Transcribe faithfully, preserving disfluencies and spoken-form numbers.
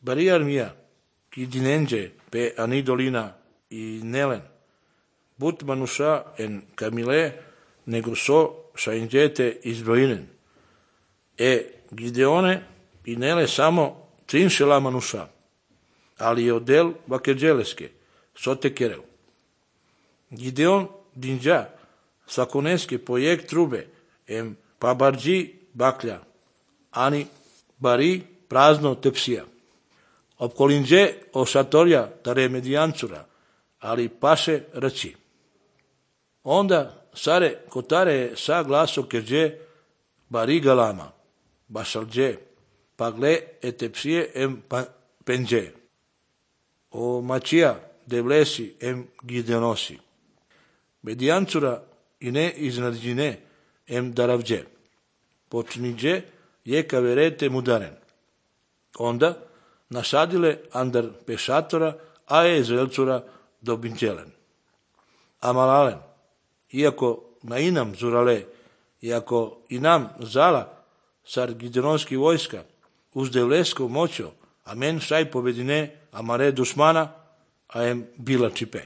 bari armia, ki dinenge pe anidolina i nelen, but manusha en Camile, nego so shainjete izbrojinen. E Gideone i nele samo trinšela manusha, ali odel vakeđeleske, sote kerel. Gideon dinđa sakoneske projekt trube, em pabarđi baklja, ani bari prazno tepsija. Opkolinđe o šatorja tare medijancura, ali paše rći. Onda sare kotare sa glaso keđe bari galama, bašalđe, pagle etepsije em penđe. O mačija devlesi em Gideonosi. Medijancura i ne iznarđine em daravđe. Počniđe je kaverete mudaren. Onda nasadile andar pešatora, a je izraelcura dobinđelen. Amalalen, iako na inam zurale, iako i nam zala sar Gideonski vojska, uz devlesko moćo, a men šaj povedine amare dušmana, a em bila čipe.